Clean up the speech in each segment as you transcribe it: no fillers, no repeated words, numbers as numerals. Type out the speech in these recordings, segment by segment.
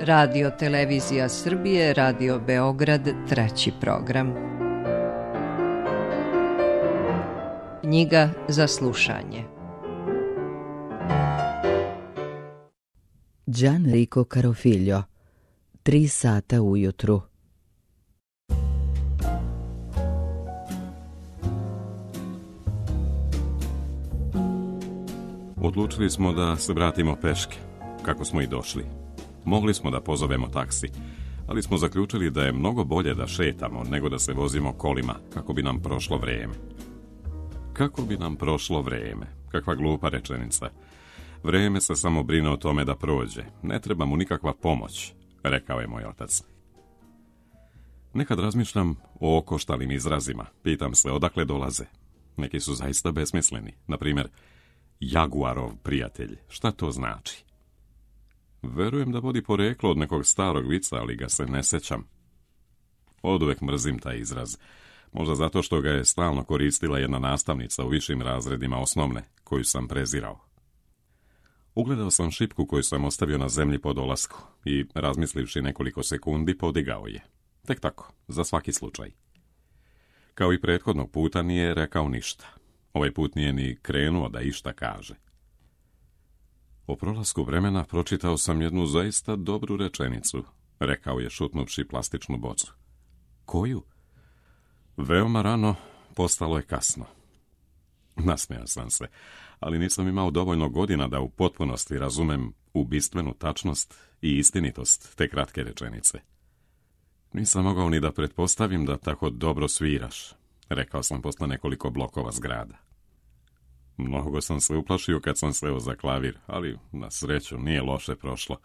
Radio Televizija Srbije, Radio Beograd, treći program. Knjiga za slušanje. Gianrico Carofiglio, 3 sata ujutru. Odlučili smo da se vratimo peške, kako smo i došli. Mogli smo da pozovemo taksi, ali smo zaključili da je mnogo bolje da šetamo nego da se vozimo kolima, kako bi nam prošlo vrijeme. Kako bi nam prošlo vrijeme? Kakva glupa rečenica. Vrijeme se samo brine o tome da prođe. Ne treba mu nikakva pomoć, rekao je moj otac. Nekad razmišljam o okoštalim izrazima. Pitam se odakle dolaze. Neki su zaista besmisleni. Na primjer, Jaguarov prijatelj. Šta to znači? Verujem da vodi poreklo od nekog starog vica, ali ga se ne sjećam. Oduvek mrzim taj izraz. Možda zato što ga je stalno koristila jedna nastavnica u višim razredima osnovne, koju sam prezirao. Ugledao sam šipku koju sam ostavio na zemlji po dolasku i, razmislivši nekoliko sekundi, podigao je. Tek tako, za svaki slučaj. Kao i prethodnog puta nije rekao ništa. Ovaj put nije ni krenuo da išta kaže. O prolasku vremena pročitao sam jednu zaista dobru rečenicu, rekao je šutnuvši plastičnu bocu. Koju? Veoma rano postalo je kasno. Nasmejao sam se, ali nisam imao dovoljno godina da u potpunosti razumem ubistvenu tačnost i istinitost te kratke rečenice. Nisam mogao ni da pretpostavim da tako dobro sviraš, rekao sam posle nekoliko blokova zgrada. Mnogo sam se uplašio kad sam seo za klavir, ali na sreću nije loše prošlo.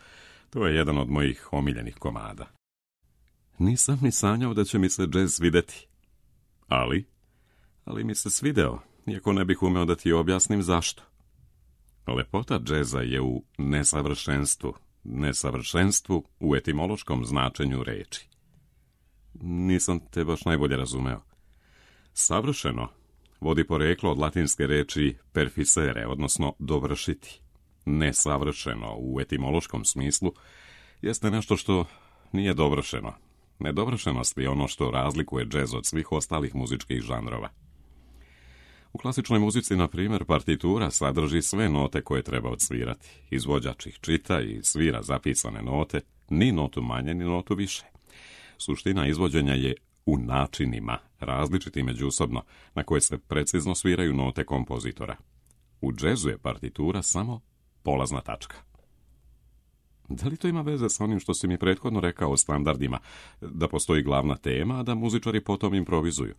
To je jedan od mojih omiljenih komada. Nisam ni sanjao da će mi se džez svideti. Ali mi se svideo, iako ne bih umeo da ti objasnim zašto. Lepota džeza je u nesavršenstvu u etimološkom značenju reči. Nisam te baš najbolje razumeo. Savršeno vodi poreklo od latinske reči perficere, odnosno dovršiti. Nesavršeno u etimološkom smislu jeste nešto što nije dovršeno. Nedovršenost je ono što razlikuje džez od svih ostalih muzičkih žanrova. U klasičnoj muzici, na primjer, partitura sadrži sve note koje treba odsvirati. Izvođač ih čita i svira zapisane note, ni notu manje, ni notu više. Suština izvođenja je u načinima, različiti međusobno, na koje se precizno sviraju note kompozitora. U džezu je partitura samo polazna tačka. Da li to ima veze sa onim što si mi prethodno rekao o standardima, da postoji glavna tema, a da muzičari potom improvizuju?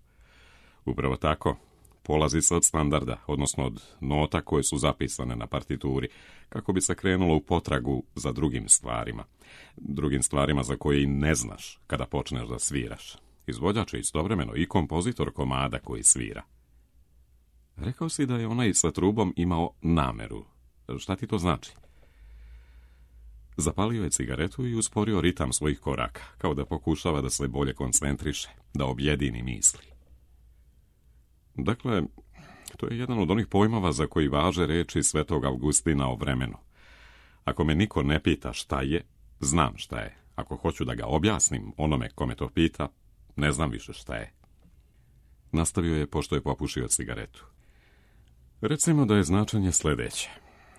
Upravo tako, polazi se od standarda, odnosno od nota koje su zapisane na partituri, kako bi se krenulo u potragu za drugim stvarima za koje i ne znaš kada počneš da sviraš. Izvođač je istovremeno i kompozitor komada koji svira. Rekao si da je onaj sa trubom imao nameru. Šta ti to znači? Zapalio je cigaretu i usporio ritam svojih koraka, kao da pokušava da se bolje koncentriše, da objedini misli. Dakle, to je jedan od onih pojmova za koji važe reči Svetog Augustina o vremenu. Ako me niko ne pita šta je, znam šta je. Ako hoću da ga objasnim onome kome to pita, ne znam više šta je. Nastavio je pošto je popušio cigaretu. Recimo da je značenje sljedeće.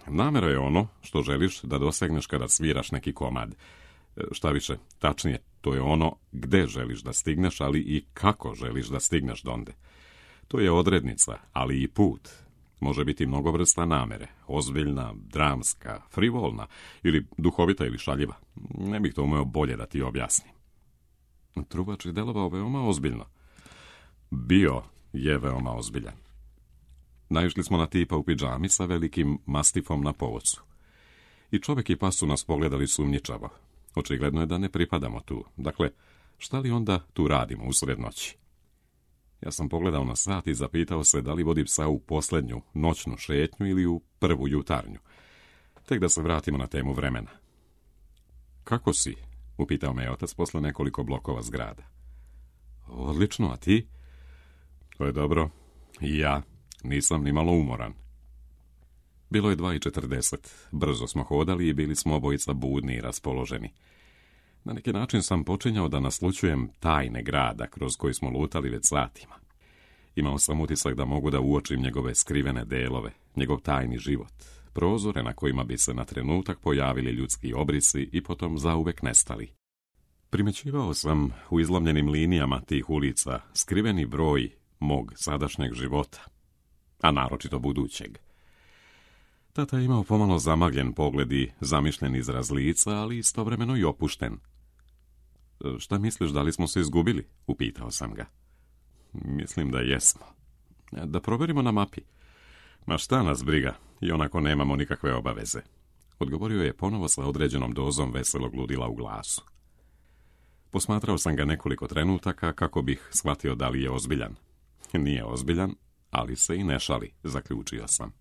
Namera je ono što želiš da dosegneš kada sviraš neki komad. Šta više, tačnije, to je ono gde želiš da stigneš, ali i kako želiš da stigneš donde. To je odrednica, ali i put. Može biti mnogo vrsta namere, ozbiljna, dramska, frivolna, ili duhovita ili šaljiva. Ne bih to umeo bolje da ti objasnim. Trubač je delovao veoma ozbiljno. Bio je veoma ozbiljan. Naišli smo na tipa u pidžami sa velikim mastifom na povocu. I čovjek i pas su nas pogledali sumnjičavo. Očigledno je da ne pripadamo tu. Dakle, šta li onda tu radimo usred noći? Ja sam pogledao na sat i zapitao se da li vodi psa u posljednju noćnu šetnju ili u prvu jutarnju. Tek da se vratimo na temu vremena. Kako si? Upitao me otac posle nekoliko blokova zgrada. Odlično, a ti? To je dobro. I ja nisam ni malo umoran. Bilo je 2:40. Brzo smo hodali i bili smo obojica budni i raspoloženi. Na neki način sam počinjao da naslućujem tajne grada kroz koji smo lutali već satima. Imao sam utisak da mogu da uočim njegove skrivene delove, njegov tajni život, prozore na kojima bi se na trenutak pojavili ljudski obrisi i potom zauvek nestali. Primećivao sam u izlomljenim linijama tih ulica skriveni broj mog sadašnjeg života, a naročito budućeg. Tata je imao pomalo zamagljen pogled i zamišljen izraz lica, ali istovremeno i opušten. Šta misliš, da li smo se izgubili? Upitao sam ga. Mislim da jesmo. Da proverimo na mapi. Ma šta nas briga, i onako nemamo nikakve obaveze. Odgovorio je ponovo sa određenom dozom veselog ludila u glasu. Posmatrao sam ga nekoliko trenutaka kako bih shvatio da li je ozbiljan. Nije ozbiljan, ali se i ne šali, zaključio sam.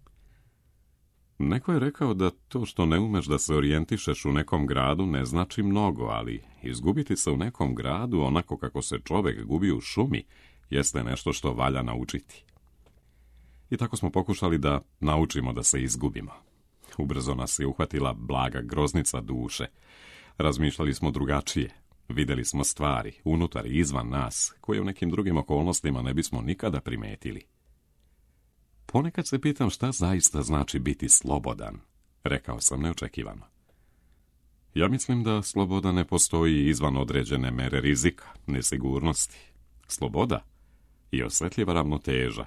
Neko je rekao da to što ne umeš da se orijentišeš u nekom gradu ne znači mnogo, ali izgubiti se u nekom gradu onako kako se čovek gubi u šumi jeste nešto što valja naučiti. I tako smo pokušali da naučimo da se izgubimo. Ubrzo nas je uhvatila blaga groznica duše. Razmišljali smo drugačije. Vidjeli smo stvari, unutar i izvan nas, koje u nekim drugim okolnostima ne bismo nikada primetili. Ponekad se pitam šta zaista znači biti slobodan, rekao sam neočekivano. Ja mislim da sloboda ne postoji izvan određene mere rizika, nesigurnosti. Sloboda i osjetljiva ravnoteža,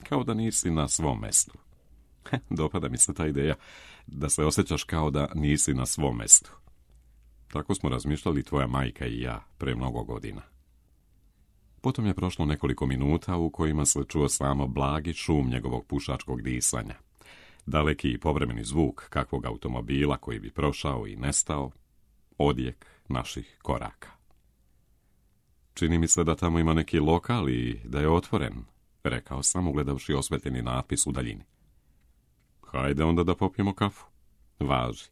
kao da nisi na svom mestu. Dopada mi se ta ideja da se osjećaš kao da nisi na svom mestu. Tako smo razmišljali tvoja majka i ja pre mnogo godina. Potom je prošlo nekoliko minuta u kojima se čuo samo blagi šum njegovog pušačkog disanja. Daleki i povremeni zvuk kakvog automobila koji bi prošao i nestao, odjek naših koraka. Čini mi se da tamo ima neki lokal i da je otvoren, rekao sam ugledavši osvetljeni natpis u daljini. Hajde onda da popijemo kafu. Važi.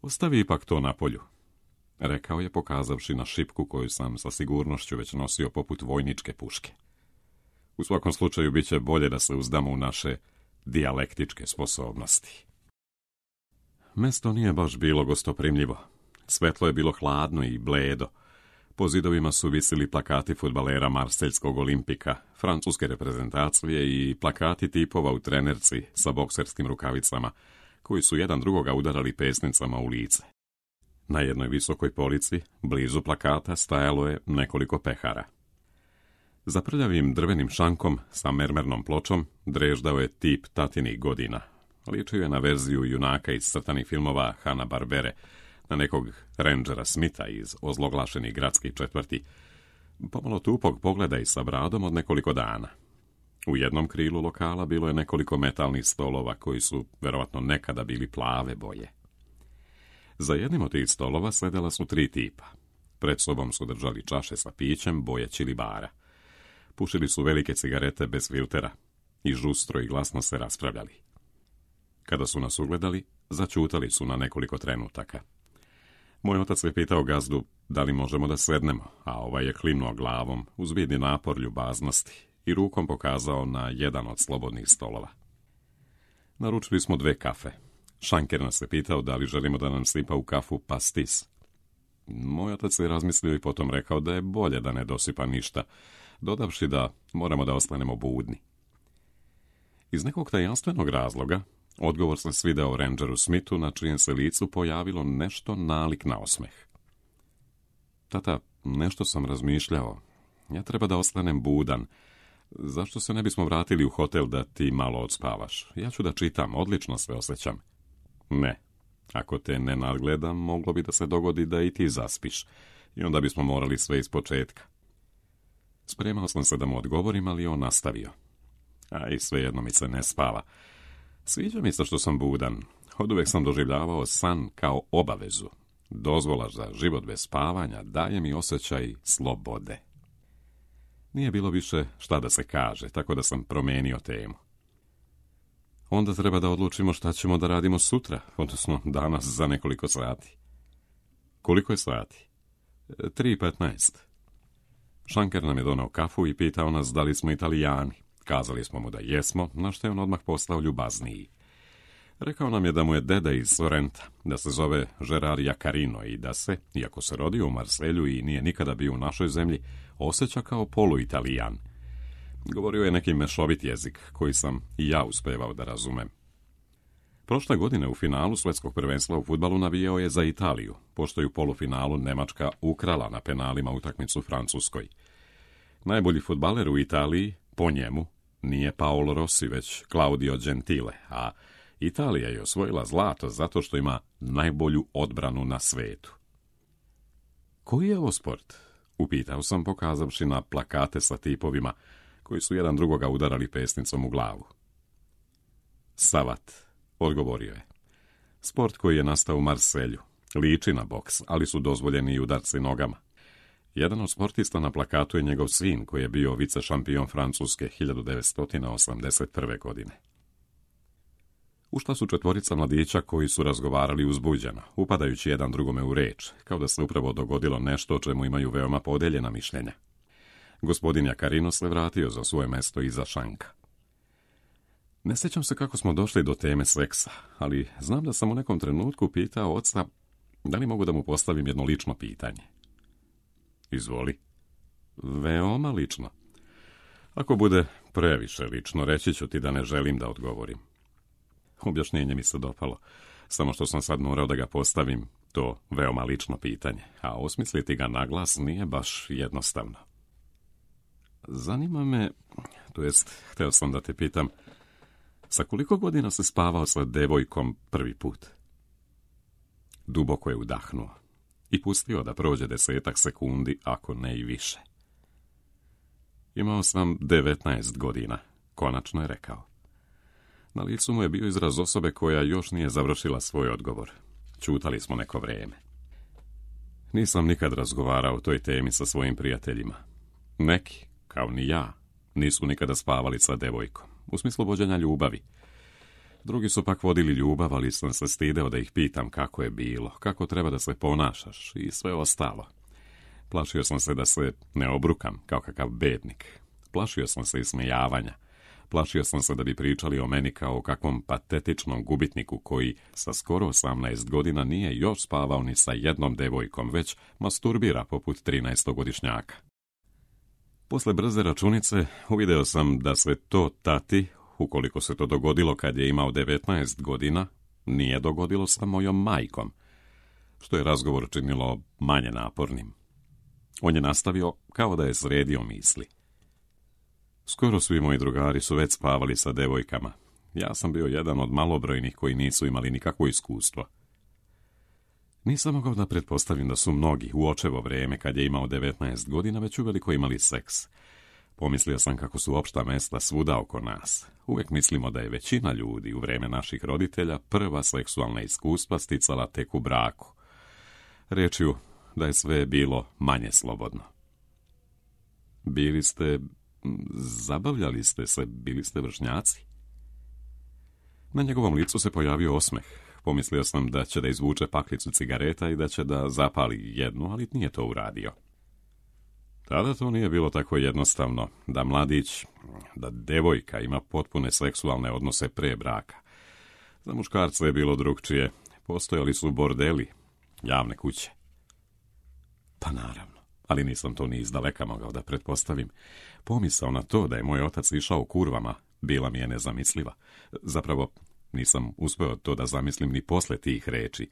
Ostavi ipak to na polju, rekao je pokazavši na šipku koju sam sa sigurnošću već nosio poput vojničke puške. U svakom slučaju bit će bolje da se uzdamo u naše dijalektičke sposobnosti. Mesto nije baš bilo gostoprimljivo. Svetlo je bilo hladno i bledo. Po zidovima su visili plakati fudbalera Marseljskog Olimpika, francuske reprezentacije i plakati tipova u trenerci sa bokserskim rukavicama, koji su jedan drugoga udarali pesnicama u lice. Na jednoj visokoj polici, blizu plakata, stajalo je nekoliko pehara. Za prljavim drvenim šankom sa mermernom pločom dreždao je tip tatinih godina. Ličio je na verziju junaka iz crtanih filmova Hanna-Barbere, na nekog rendžera Smitha iz ozloglašenih gradskih četvrti, pomalo tupog pogleda i sa bradom od nekoliko dana. U jednom krilu lokala bilo je nekoliko metalnih stolova koji su verovatno nekada bili plave boje. Za jednim od tih stolova sedela su 3 tipa. Pred sobom su držali čaše sa pićem boje čilibara. Pušili su velike cigarete bez filtera i žustro i glasno se raspravljali. Kada su nas ugledali, začutali su na nekoliko trenutaka. Moj otac je pitao gazdu da li možemo da sednemo, a ovaj je klimnuo glavom uz vidni napor ljubaznosti i rukom pokazao na jedan od slobodnih stolova. Naručili smo 2 kafe. Šanker nas je pitao da li želimo da nam sipa u kafu pastis. Moj otac je razmislio i potom rekao da je bolje da ne dosipa ništa, dodavši da moramo da ostanemo budni. Iz nekog tajanstvenog razloga, odgovor se svideo rendžeru Smithu, na čijem se licu pojavilo nešto nalik na osmeh. Tata, nešto sam razmišljao. Ja treba da ostanem budan. Zašto se ne bismo vratili u hotel da ti malo odspavaš? Ja ću da čitam, odlično se osjećam. Ne. Ako te ne nadgledam, moglo bi da se dogodi da i ti zaspiš. I onda bismo morali sve iz početka. Spremao sam se da mu odgovorim, ali on nastavio. A i svejedno mi se ne spava. Sviđa mi se što sam budan. Oduvek sam doživljavao san kao obavezu. Dozvola za život bez spavanja daje mi osjećaj slobode. Nije bilo više šta da se kaže, tako da sam promenio temu. Onda treba da odlučimo šta ćemo da radimo sutra, odnosno danas za nekoliko sati. Koliko je sati? 3:15. Šanker nam je donao kafu i pitao nas da li smo Italijani. Kazali smo mu da jesmo, na što je on odmah postao ljubazniji. Rekao nam je da mu je deda iz Sorrenta, da se zove Gerard Jacarino i da se, iako se rodio u Marselju i nije nikada bio u našoj zemlji, osjeća kao polu-Italijan. Govorio je neki mešovit jezik, koji sam i ja uspevao da razumem. Prošle godine u finalu svjetskog prvenstva u fudbalu navijao je za Italiju, pošto je u polufinalu Nemačka ukrala na penalima utakmicu Francuskoj. Najbolji fudbaler u Italiji, po njemu, nije Paolo Rossi, već Claudio Gentile, a Italija je osvojila zlato zato što ima najbolju odbranu na svetu. Koji je ovo sport? Upitao sam pokazavši na plakate sa tipovima koji su jedan drugoga udarali pesnicom u glavu. Savat, odgovorio je. Sport koji je nastao u Marselju. Liči na boks, ali su dozvoljeni i udarci nogama. Jedan od sportista na plakatu je njegov sin koji je bio vice šampion Francuske 1981. godine. Ušla su četvorica mladića koji su razgovarali uzbuđeno, upadajući jedan drugome u reč, kao da se upravo dogodilo nešto o čemu imaju veoma podeljena mišljenja. Gospodin Jacarino se vratio za svoje mesto iza šanka. Ne sjećam se kako smo došli do teme seksa, ali znam da sam u nekom trenutku pitao oca da li mogu da mu postavim jedno lično pitanje. Izvoli. Veoma lično. Ako bude previše lično, reći ću ti da ne želim da odgovorim. Objašnjenje mi se dopalo, samo što sam sad morao da ga postavim, to veoma lično pitanje, a osmisliti ga na glas nije baš jednostavno. Zanima me, to jest, htio sam da te pitam, sa koliko godina se spavao sa devojkom prvi put? Duboko je udahnuo i pustio da prođe 10 sekundi, ako ne i više. Imao sam 19 godina, konačno je rekao. Na licu mu je bio izraz osobe koja još nije završila svoj odgovor. Ćutali smo neko vrijeme. Nisam nikad razgovarao o toj temi sa svojim prijateljima. Neki, kao ni ja, nisu nikada spavali sa devojkom, u smislu vođenja ljubavi. Drugi su pak vodili ljubav, ali sam se stideo da ih pitam kako je bilo, kako treba da se ponašaš i sve ostalo. Plašio sam se da se ne obrukam kao kakav bednik. Plašio sam se ismejavanja. Plašio sam se da bi pričali o meni kao o kakvom patetičnom gubitniku koji sa skoro 18 godina nije još spavao ni sa jednom devojkom, već masturbira poput 13-godišnjaka. Posle brze računice uvideo sam da se to tati, ukoliko se to dogodilo kad je imao 19 godina, nije dogodilo sa mojom majkom, što je razgovor činilo manje napornim. On je nastavio kao da je sredio misli. Skoro svi moji drugari su već spavali sa devojkama. Ja sam bio jedan od malobrojnih koji nisu imali nikakvo iskustvo. Nisam mogao da pretpostavim da su mnogi u očevo vrijeme kad je imao 19 godina već uveliko imali seks. Pomislio sam kako su opšta mesta svuda oko nas. Uvijek mislimo da je većina ljudi u vrijeme naših roditelja prva seksualna iskustva sticala tek u braku. Rečju da je sve bilo manje slobodno. Zabavljali ste se, bili ste vršnjaci? Na njegovom licu se pojavio osmeh. Pomislio sam da će da izvuče paklicu cigareta i da će da zapali jednu, ali nije to uradio. Tada to nije bilo tako jednostavno, da mladić, da devojka ima potpune seksualne odnose pre braka. Za muškarce je bilo drugčije. Postojali su bordeli, javne kuće. Pa naravno, ali nisam to ni izdaleka mogao da pretpostavim. Pomisao na to da je moj otac išao kurvama bila mi je nezamisliva. Zapravo, nisam uspeo to da zamislim ni posle tih reči.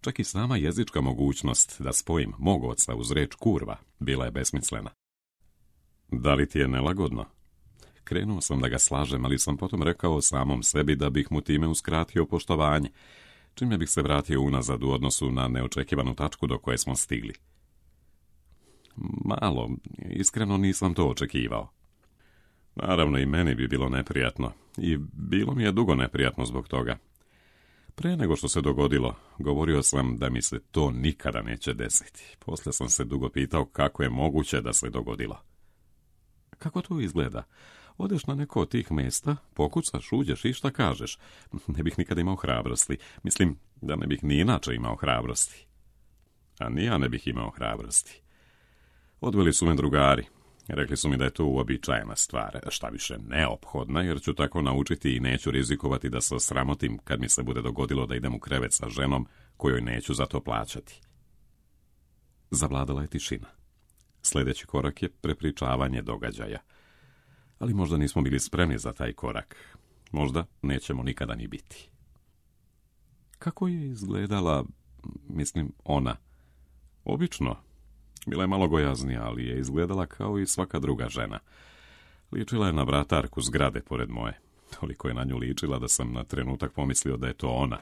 Čak i sama jezička mogućnost da spojim mog oca uz reč kurva bila je besmislena. Da li ti je nelagodno? Krenuo sam da ga slažem, ali sam potom rekao samom sebi da bih mu time uskratio poštovanje, čime bih se vratio unazad u odnosu na neočekivanu tačku do koje smo stigli. Malo, iskreno nisam to očekivao. Naravno i meni bi bilo neprijatno, i bilo mi je dugo neprijatno zbog toga. Pre nego što se dogodilo, govorio sam da mi se to nikada neće desiti. Poslije sam se dugo pitao kako je moguće da se dogodilo. Kako to izgleda? Odeš na neko od tih mjesta, pokucaš, uđeš i šta kažeš? Ne bih nikada imao hrabrosti. Mislim da ne bih ni inače imao hrabrosti. A ni ja ne bih imao hrabrosti. Odveli su me drugari. Rekli su mi da je to uobičajena stvar, šta više neophodna, jer ću tako naučiti i neću rizikovati da se osramotim kad mi se bude dogodilo da idem u krevet sa ženom kojoj neću za to plaćati. Zavladala je tišina. Sljedeći korak je prepričavanje događaja. Ali možda nismo bili spremni za taj korak. Možda nećemo nikada ni biti. Kako je izgledala, ona? Obično. Bila je malo gojaznija, ali je izgledala kao i svaka druga žena. Ličila je na vratarku zgrade pored moje. Toliko je na nju ličila da sam na trenutak pomislio da je to ona.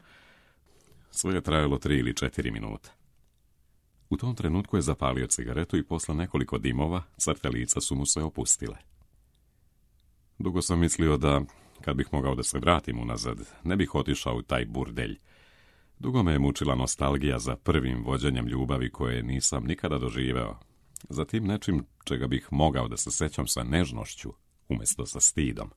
Sve je trajalo 3 ili 4 minuta. U tom trenutku je zapalio cigaretu i posle nekoliko dimova crte lica su mu se opustile. Dugo sam mislio da, kad bih mogao da se vratim unazad, ne bih otišao u taj burdelj. Dugo me je mučila nostalgija za prvim vođenjem ljubavi koje nisam nikada doživeo, za tim nečim čega bih mogao da se sećam sa nežnošću, umjesto sa stidom.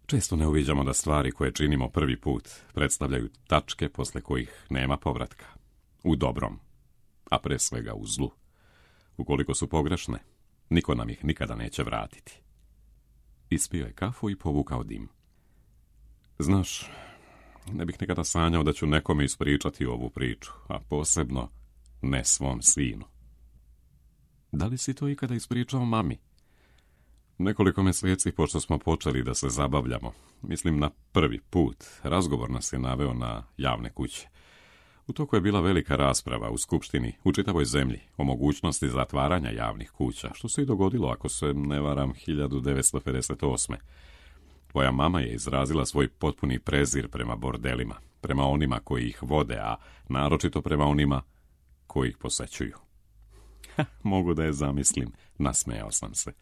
Često ne uviđamo da stvari koje činimo prvi put predstavljaju tačke posle kojih nema povratka. U dobrom, a pre svega u zlu. Ukoliko su pogrešne, niko nam ih nikada neće vratiti. Ispio je kafu i povukao dim. Znaš, ne bih nikada sanjao da ću nekome ispričati ovu priču, a posebno ne svom sinu. Da li si to ikada ispričao mami? Nekoliko mjeseci pošto smo počeli da se zabavljamo, mislim na prvi put, razgovor nas je naveo na javne kuće. U toku je bila velika rasprava u skupštini u čitavoj zemlji o mogućnosti zatvaranja javnih kuća, što se i dogodilo, ako se ne varam, 1958. Tvoja mama je izrazila svoj potpuni prezir prema bordelima, prema onima koji ih vode, a naročito prema onima koji ih posećuju. Mogu da je zamislim, nasmejao sam se.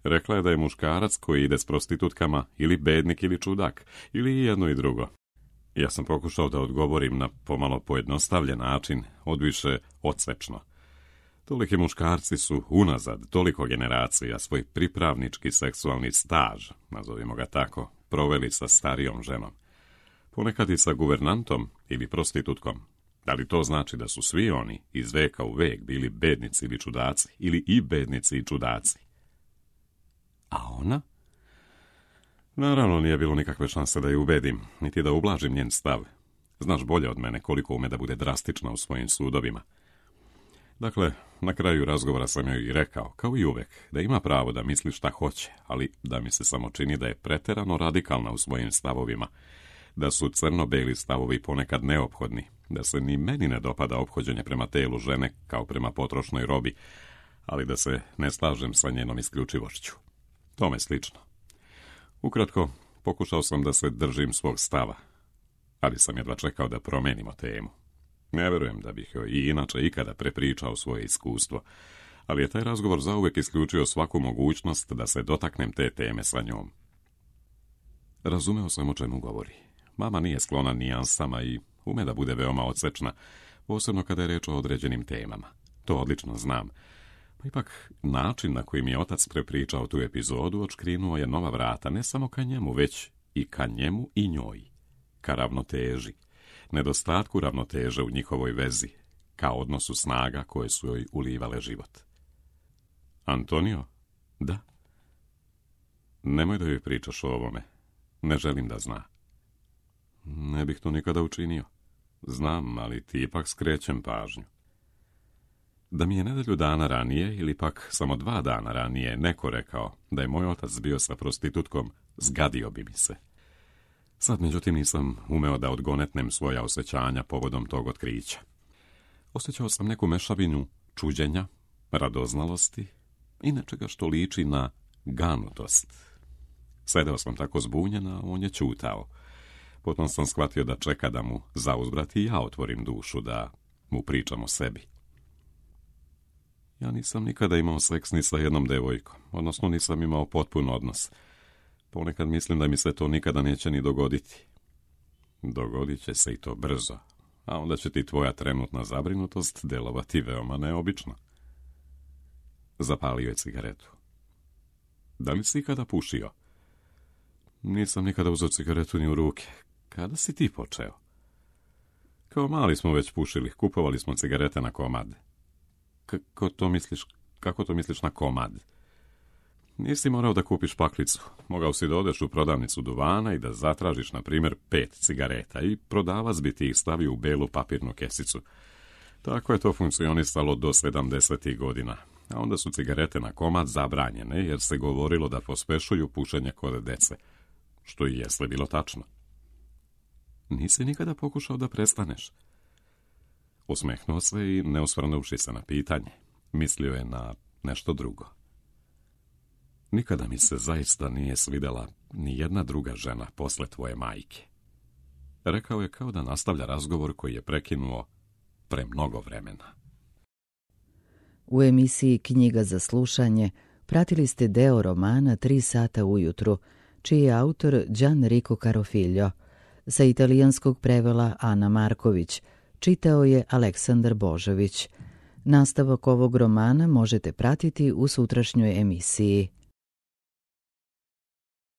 Rekla je da je muškarac koji ide s prostitutkama ili bednik ili čudak, ili jedno i drugo. Ja sam pokušao da odgovorim na pomalo pojednostavljen način, odviše odsečno. Toliki muškarci su unazad toliko generacija svoj pripravnički seksualni staž, nazovimo ga tako, proveli sa starijom ženom. Ponekad i sa guvernantom ili prostitutkom. Da li to znači da su svi oni iz veka u vek bili bednici ili čudaci, ili i bednici i čudaci? A ona? Naravno, nije bilo nikakve šanse da je ubedim, niti da ublažim njen stav. Znaš bolje od mene koliko ume da bude drastična u svojim sudovima. Dakle, na kraju razgovora sam joj i rekao, kao i uvek, da ima pravo da misli šta hoće, ali da mi se samo čini da je preterano radikalna u svojim stavovima, da su crno-beli stavovi ponekad neophodni, da se ni meni ne dopada ophođenje prema telu žene kao prema potrošnoj robi, ali da se ne slažem sa njenom isključivošću. Tome slično. Ukratko, pokušao sam da se držim svog stava, ali sam jedva čekao da promenimo temu. Ne verujem da bih joj i inače ikada prepričao svoje iskustvo, ali je taj razgovor zauvek isključio svaku mogućnost da se dotaknem te teme sa njom. Razumeo sam o čemu govori. Mama nije sklona nijansama i ume da bude veoma odsečna, posebno kada je reč o određenim temama. To odlično znam. Pa ipak, način na koji mi je otac prepričao tu epizodu odškrinuo je nova vrata, ne samo ka njemu, već i ka njemu i njoj. Ka ravnoteži, nedostatku ravnoteže u njihovoj vezi, ka odnosu snaga koje su joj ulivale život. Antonio? Da? Nemoj da joj pričaš o ovome. Ne želim da zna. Ne bih to nikada učinio. Znam, ali ti ipak skrećem pažnju. Da mi je nedelju dana ranije, ili pak samo 2 dana ranije, neko rekao da je moj otac bio sa prostitutkom, zgadio bi mi se. Sad, međutim, nisam umeo da odgonetnem svoja osjećanja povodom tog otkrića. Osjećao sam neku mešavinu čuđenja, radoznalosti i nečega što liči na ganutost. Sedeo sam tako zbunjen, a on je ćutao. Potom sam shvatio da čeka da mu zauzvrat i ja otvorim dušu, da mu pričam o sebi. Ja nisam nikada imao seks ni sa jednom devojkom, odnosno nisam imao potpun odnos. Ponekad mislim da mi se to nikada neće ni dogoditi. Dogodit će se i to brzo, a onda će ti tvoja trenutna zabrinutost delovati veoma neobično. Zapalio je cigaretu. Da li si ikada pušio? Nisam nikada uzeo cigaretu ni u ruke. Kada si ti počeo? Kao mali smo već pušili, kupovali smo cigarete na komad. Kako to misliš, Kako to misliš na komad? Nisi morao da kupiš paklicu. Mogao si da odeš u prodavnicu duvana i da zatražiš, na primjer, 5 cigareta i prodavac bi ti ih stavio u belu papirnu kesicu. Tako je to funkcionisalo do 70. godina. A onda su cigarete na komad zabranjene jer se govorilo da pospešuju pušenje kod dece. Što i jesle bilo tačno. Nisi nikada pokušao da prestaneš? Osmehnuo se i ne osvrnuvši se na pitanje. Mislio je na nešto drugo. Nikada mi se zaista nije svidela ni jedna druga žena posle tvoje majke. Rekao je kao da nastavlja razgovor koji je prekinuo pre mnogo vremena. U emisiji Knjiga za slušanje pratili ste deo romana 3 sata ujutru, čiji je autor Gianrico Carofiglio. Sa italijanskog prevela Ana Marković, čitao je Aleksandar Božović. Nastavak ovog romana možete pratiti u sutrašnjoj emisiji.